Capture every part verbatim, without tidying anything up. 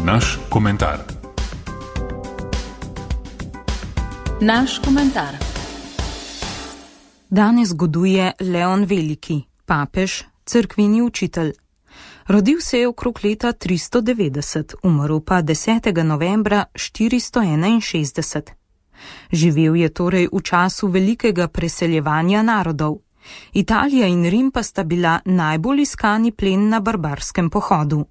Naš komentar. Naš komentar. Danes goduje Leon Veliki, papež, cerkveni učitelj. Rodil se je okrog leta tristo devetdeset, umrl pa desetega novembra štiristo enainšestdeset. Živel je torej v času velikega preseljevanja narodov. Italija in Rim pa sta bila najbolj iskani plen na barbarskem pohodu.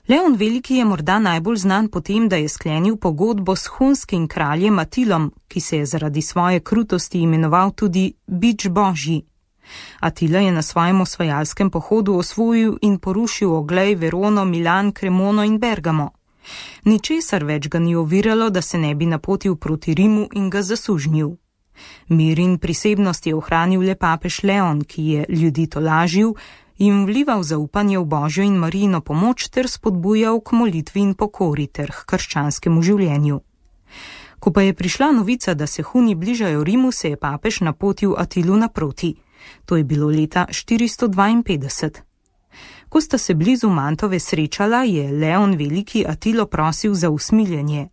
Leon Veliki je morda najbolj znan po tem, da je sklenil pogodbo s hunskim kraljem Atilom, ki se je zaradi svoje krutosti imenoval tudi Bič Božji. Atila je na svojem osvajalskem pohodu osvojil in porušil Oglej, Verono, Milan, Kremono in Bergamo. Ničesar več ga ni oviralo, da se ne bi napotil proti Rimu in ga zasužnil. Mir in prisebnost je ohranil le papež Leon, ki je ljudi tolažil, jim vlival zaupanje v Božjo in Marijino pomoč ter spodbujal k molitvi in pokori ter k krščanskemu življenju. Ko pa je prišla novica, da se Huni bližajo Rimu, se je papež napotil Atilu naproti. To je bilo leta štiristo dvainpetdeset. Ko sta se blizu Mantove srečala, je Leon Veliki Atilo prosil za usmiljenje.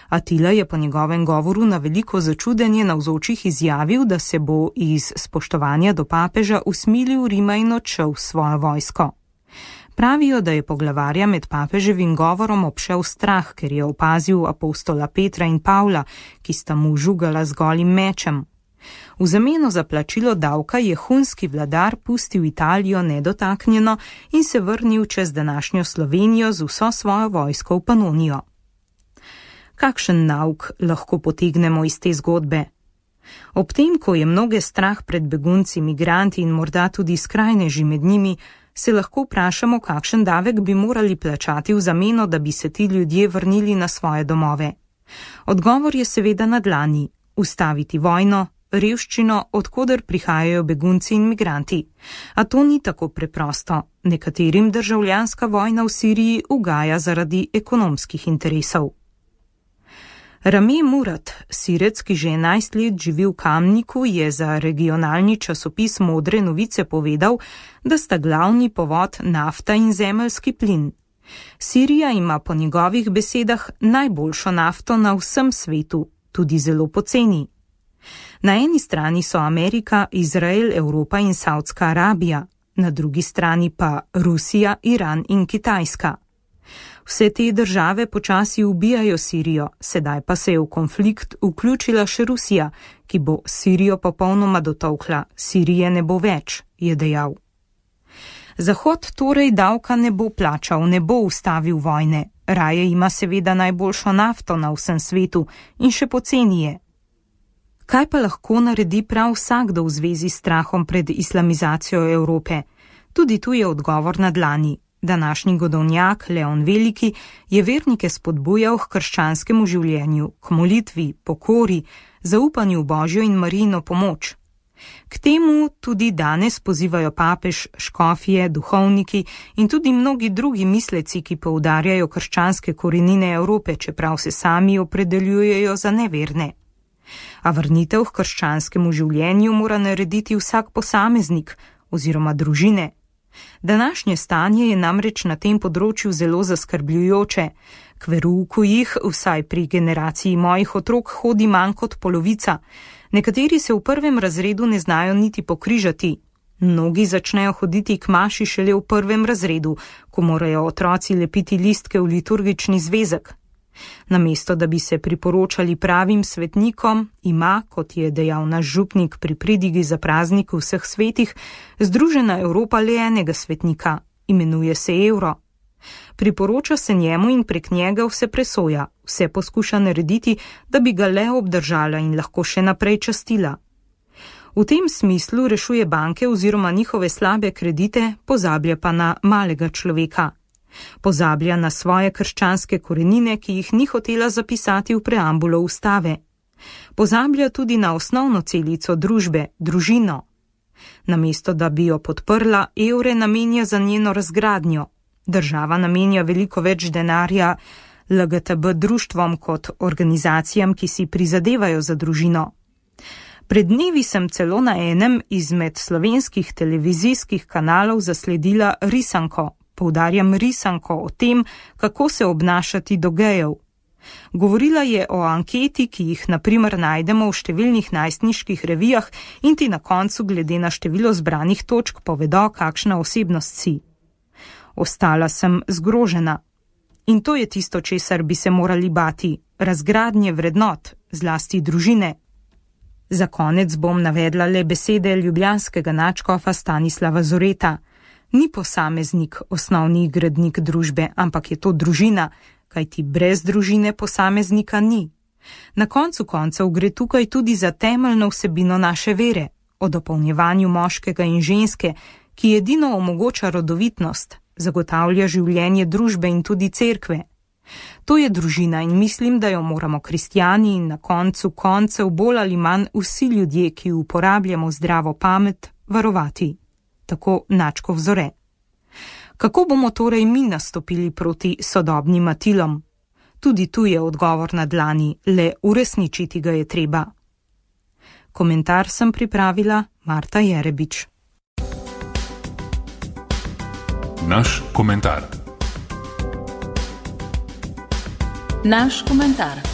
Atila je po njegovem govoru na veliko začudenje navzočih izjavil, da se bo iz spoštovanja do papeža usmilil Rima in odšel s svojo vojsko. Pravijo, da je poglavarja med papeževim govorom obšel strah, ker je opazil apostola Petra in Pavla, ki sta mu žugala z golim mečem. V zameno za plačilo davka je hunski vladar pustil Italijo nedotaknjeno in se vrnil čez današnjo Slovenijo z vso svojo vojsko v Panonijo. Kakšen nauk lahko potegnemo iz te zgodbe? Ob tem, ko je mnoge strah pred begunci, migranti in morda tudi skrajneži med njimi, se lahko vprašamo, kakšen davek bi morali plačati v zameno, da bi se ti ljudje vrnili na svoje domove. Odgovor je seveda na dlani: ustaviti vojno, revščino, odkoder prihajajo begunci in migranti. A to ni tako preprosto. Nekaterim državljanska vojna v Siriji ugaja zaradi ekonomskih interesov. Rame Murad, Sirec, ki že enajst let živi v Kamniku, je za regionalni časopis Modre novice povedal, da sta glavni povod nafta in zemeljski plin. Sirija ima po njegovih besedah najboljšo nafto na vsem svetu, tudi zelo poceni. Na eni strani so Amerika, Izrael, Evropa in Saudska Arabija, na drugi strani pa Rusija, Iran in Kitajska. Vse te države počasi ubijajo Sirijo, sedaj pa se je v konflikt vključila še Rusija, ki bo Sirijo popolnoma dotolkla. Sirije ne bo več, je dejal. Zahod torej davka ne bo plačal, ne bo ustavil vojne. Raje ima seveda najboljšo nafto na vsem svetu in še poceni je. Kaj pa lahko naredi prav vsakdo v zvezi s strahom pred islamizacijo Evrope? Tudi tu je odgovor na dlani. Današnji godovnjak Leon Veliki je vernike spodbujal k krščanskemu življenju, k molitvi, pokori, zaupanju v Božjo in Marijino pomoč. K temu tudi danes pozivajo papež, škofje, duhovniki in tudi mnogi drugi misleci, ki poudarjajo krščanske korenine Evrope, čeprav se sami opredeljujejo za neverne. A vrnitev k krščanskemu življenju mora narediti vsak posameznik oziroma družine. Današnje stanje je namreč na tem področju zelo zaskrbljujoče. K verouku jih, vsaj pri generaciji mojih otrok, hodi manj kot polovica. Nekateri se v prvem razredu ne znajo niti pokrižati. Mnogi začnejo hoditi k maši šele v prvem razredu, ko morajo otroci lepiti listke v liturgični zvezek. Namesto da bi se priporočali pravim svetnikom, ima, kot je dejal naš župnik pri pridigi za praznik vseh svetih, Združena Evropa le enega svetnika, imenuje se Evro. Priporoča se njemu in prek njega vse presoja, vse poskuša narediti, da bi ga le obdržala in lahko še naprej častila. V tem smislu rešuje banke oziroma njihove slabe kredite, pozablja pa na malega človeka. Pozablja na svoje krščanske korenine, ki jih ni hotela zapisati v preambulo ustave. Pozablja tudi na osnovno celico družbe, družino. Namesto da bi jo podprla, evre namenja za njeno razgradnjo. Država namenja veliko več denarja L G T B društvom kot organizacijam, ki si prizadevajo za družino. Pred dnevi sem celo na enem izmed slovenskih televizijskih kanalov zasledila risanko, poudarjam risanko o tem, kako se obnašati do gejev. Govorila je o anketi, ki jih na primer najdemo v številnih najstniških revijah in ti na koncu glede na število zbranih točk povedo, kakšna osebnost si. Ostala sem zgrožena. In to je tisto, česar bi se morali bati, razgradnje vrednot, zlasti družine. Za konec bom navedla le besede ljubljanskega nadškofa Stanislava Zoreta. Ni posameznik osnovni gradnik družbe, ampak je to družina, kajti brez družine posameznika ni. Na koncu koncev gre tukaj tudi za temeljno vsebino naše vere, o dopolnjevanju moškega in ženske, ki edino omogoča rodovitnost, zagotavlja življenje družbe in tudi cerkve. To je družina in mislim, da jo moramo kristjani in na koncu koncev bolj ali manj vsi ljudje, ki uporabljamo zdravo pamet, varovati. Tako Nadškov Zore. Kako bomo torej mi nastopili proti sodobnim matilom? Tudi tu je odgovor na dlani, le uresničiti ga je treba. Komentar sem pripravila Marta Jerebič. Naš komentar. Naš komentar.